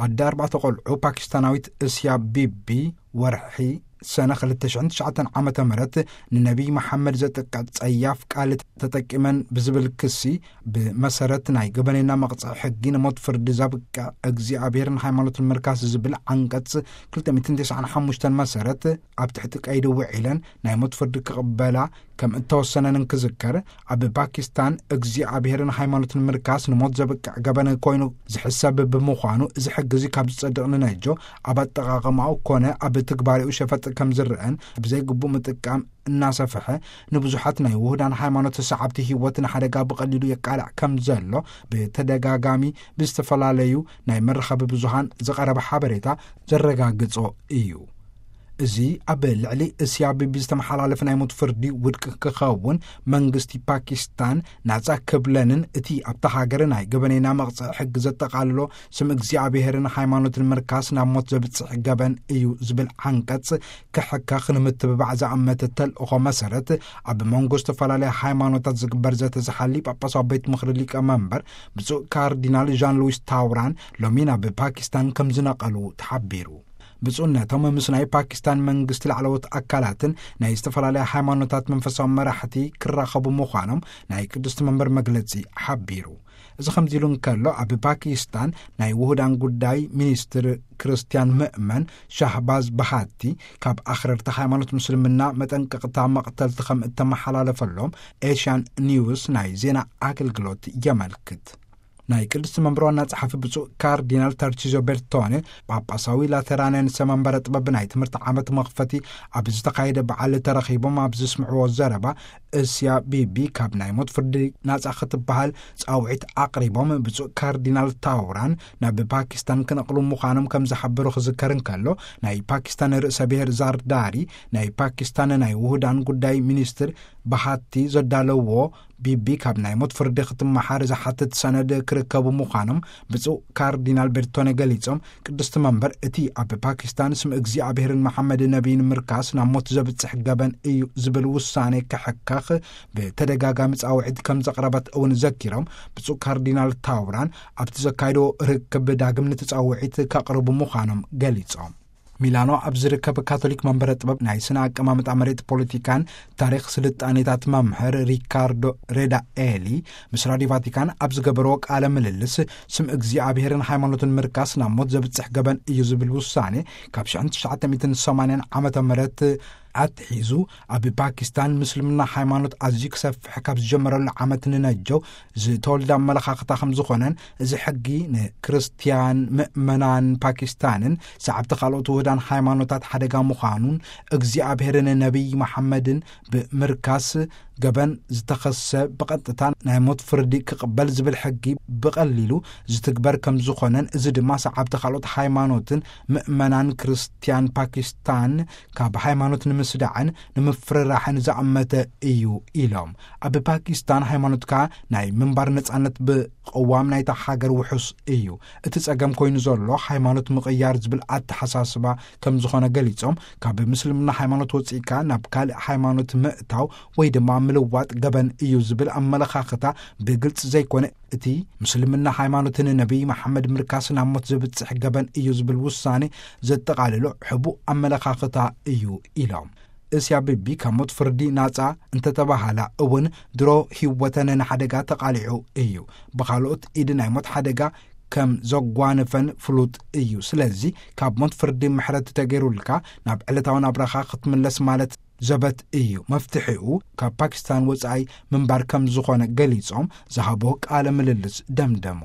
ኣደ ኣርባዕተ ቆልዑ ፓኪስታናዊት እስያ ቢቢ፣ ወርሒ ሰነ ክልተ ሽሕን ትሽዓተን ዓመተ ምህረት ንነቢይ መሓመድ ዘጥቀ ጸያፍ ቃል ተጠቂመን ብዝብል ክሲ፣ ብመሰረት ናይ ገበነና መቕጽዒ ሕጊ ንሞት ፍርዲ ዘብቅዕ እግዚኣብሔርን ሃይማኖትን ምርካስ ዝብል ዓንቀጽ ክልተ ሚእትን ተስዓን ሓሙሽተን መሰረት፣ ኣብ ትሕቲ ቀይዲ ውዒለን ናይ ሞት ፍርዲ ክቕበላ ከም እተወሰነን እንክዝከር፣ ኣብ ፓኪስታን እግዚኣብሔርን ሃይማኖትን ምርካስ ንሞት ዘብቅዕ ገበን ኮይኑ ዝሕሰብ ብምዃኑ፣ እዚ ሕጊ እዚ ካብ ዝጸድቕ ንነጆ፣ ኣብ ኣጠቓቕማኡ ኮነ ኣብ ትግባሬኡ ሸፈጥ ከም ዝረአን፣ ብዘይግቡእ ምጥቃም እናሰፍሐ፣ ንብዙሓት ናይ ውሁዳን ሃይማኖት ሰዓብቲ ህይወት ንሓደጋ ብቐሊሉ የቃልዕ ከም ዘሎ ብተደጋጋሚ ብዝተፈላለዩ ናይ መራኸቢ ብዙሃን ዝቐረበ ሓበሬታ ዘረጋግጾ እዩ። እዚ ኣብ ልዕሊ እስያ ቢቢ ዝተመሓላለፈ ናይ ሞት ፍርዲ ውድቂ ክኸውን፣ መንግስቲ ፓኪስታን ናጻ ክብለንን፣ እቲ ኣብታ ሃገር ናይ ገበነና መቕጽዒ ሕጊ ዘጠቓልሎ ስም እግዚኣብሔርን ሃይማኖትን ምርካስ ናብ ሞት ዘብጽሕ ገበን እዩ ዝብል ዓንቀጽ ክሕከኽ ንምትብባዕ ዝኣመተ ተልእኾ መሰረት፣ ኣብ መንጎ ዝተፈላለያ ሃይማኖታት ዝግበር ዘተ ዝሓሊ ጳጳሳዊ ቤት ምኽሪ ሊቀ መንበር ብፁዕ ካርዲናል ዣን ሉዊስ ታውራን ሎሚ ናብ ፓኪስታን ከም ዝነቐሉ ተሓቢሩ። ብፁዕነቶም ምስ ናይ ፓኪስታን መንግስቲ ላዕለዎት ኣካላትን ናይ ዝተፈላለያ ሃይማኖታት መንፈሳዊ መራሕቲ ክራኸቡ ምዃኖም ናይ ቅድስቲ መንበር መግለጺ ሓቢሩ። እዚ ከምዚ ኢሉ እንከሎ፣ ኣብ ፓኪስታን ናይ ውሁዳን ጉዳይ ሚኒስትር ክርስትያን ምእመን ሻህባዝ ባሃቲ፣ ካብ ኣኽረርቲ ሃይማኖት ምስልምና መጠንቀቕታ መቕተልቲ ከም እተመሓላለፈሎም ኤሽያን ኒውስ ናይ ዜና ኣገልግሎት የመልክት። ናይ ቅድስቲ መንበር ዋና ጸሓፊ ብፁዕ ካርዲናል ተርቺዞ ቤርቶኔ፣ ጳጳሳዊ ላተራንያን ሰመንበረ ጥበብ ናይ ትምህርቲ ዓመት መኽፈቲ ኣብ ዝተኻየደ በዓል ተረኺቦም ኣብ ዝስምዕዎ ዘረባ፣ እስያ ቢቢ ካብ ናይ ሞት ፍርዲ ናጻ ክትበሃል ጻውዒት ኣቕሪቦም፣ ብፁዕ ካርዲናል ታውራን ናብ ፓኪስታን ክነቕሉ ምዃኖም ከም ዝሓበሩ ክዝከር እንከሎ፣ ናይ ፓኪስታን ርእሰ ብሔር ዛርዳሪ፣ ናይ ፓኪስታን ናይ ውሁዳን ጉዳይ ሚኒስትር ባሃቲ ዘዳለዎ ቢቢ ካብ ናይ ሞት ፍርዲ ክትመሓር ዝሓትት ሰነድ ክርከቡ ምዃኖም ብፁዕ ካርዲናል ቤርቶኔ ገሊጾም፣ ቅድስቲ መንበር እቲ ኣብ ፓኪስታን ስም እግዚኣብሔርን መሓመድ ነቢይን ምርካስ ናብ ሞት ዘብጽሕ ገበን እዩ ዝብል ውሳኔ ክሕከኽ ብተደጋጋሚ ጻውዒት ከም ዘቕረበት እውን ዘኪሮም፣ ብፁዕ ካርዲናል ታውራን ኣብቲ ዘካየዶ ርክብ ዳግም ንትጻውዒት ከቕርቡ ምዃኖም ገሊጾም። ሚላኖ ኣብ ዝርከብ ካቶሊክ መንበረ ጥበብ ናይ ስነ ኣቀማምጣ መሬት ፖለቲካን ታሪኽ ስልጣኔታት መምህር ሪካርዶ ሬዳ ኤሊ ምስ ራዲዮ ቫቲካን ኣብ ዝገበርዎ ቃለ ምልልስ፣ ስም እግዚኣብሔርን ሃይማኖትን ምርካስ ናብ ሞት ዘብጽሕ ገበን እዩ ዝብል ውሳኔ ካብ ሽሕን ትሽዓተ ሚእትን ሰማንያን ዓመተ ምህረት ኣትሒዙ ኣብ ፓኪስታን ምስልምና ሃይማኖት ኣዝዩ ክሰፍሕ ካብ ዝጀመረሉ ዓመት ንነጀው ዝተወልደ ኣመለኻኽታ ከም ዝኾነን፣ እዚ ሕጊ ንክርስትያን ምእመናን ፓኪስታንን ሰዓብቲ ካልኦት ውህዳን ሃይማኖታት ሓደጋ ምዃኑን፣ እግዚኣብሔርን ነቢይ መሓመድን ብምርካስ ገበን ዝተኸሰ ብቐጥታ ናይ ሞት ፍርዲ ክቕበል ዝብል ሕጊ ብቐሊሉ ዝትግበር ከም ዝኾነን፣ እዚ ድማ ሰዓብቲ ካልኦት ሃይማኖትን ምእመናን ክርስትያን ፓኪስታን ካብ ሃይማኖት ንምስዳዕን ንምፍርራሕን ዝኣመተ እዩ ኢሎም። ኣብ ፓኪስታን ሃይማኖትካ ናይ ምንባር ነጻነት ብቕዋም ናይታ ሃገር ውሑስ እዩ። እቲ ጸገም ኮይኑ ዘሎ ሃይማኖት ምቕያር ዝብል ኣተሓሳስባ ከም ዝኾነ ገሊጾም፣ ካብ ምስልምና ሃይማኖት ወጺእካ ናብ ካልእ ሃይማኖት ምእታው ወይ ድማ ምልዋጥ ገበን እዩ ዝብል ኣመለኻኽታ ብግልጺ ዘይኮነ፣ እቲ ምስልምና ሃይማኖትን ነቢይ መሓመድ ምርካስ ናብ ሞት ዘብጽሕ ገበን እዩ ዝብል ውሳኔ ዘጠቓልሎ ሕቡእ ኣመለኻኽታ እዩ ኢሎም። እስያ ቢቢ ካብ ሞት ፍርዲ ናጻ እንተተባሃላ እውን ድሮ ህይወተን ንሓደጋ ተቓሊዑ እዩ። ብኻልኦት ኢድ ናይ ሞት ሓደጋ ከም ዘጓነፈን ፍሉጥ እዩ። ስለዚ ካብ ሞት ፍርዲ ምሕረት ተገይሩልካ ናብ ዕለታዊ ናብራኻ ክትምለስ ማለት ዘበት እዩ። መፍትሒኡ ካብ ፓኪስታን ወጻኢ ምንባር ከም ዝኾነ ገሊጾም ዝሃቦ ቃለ ምልልስ ደምደሙ።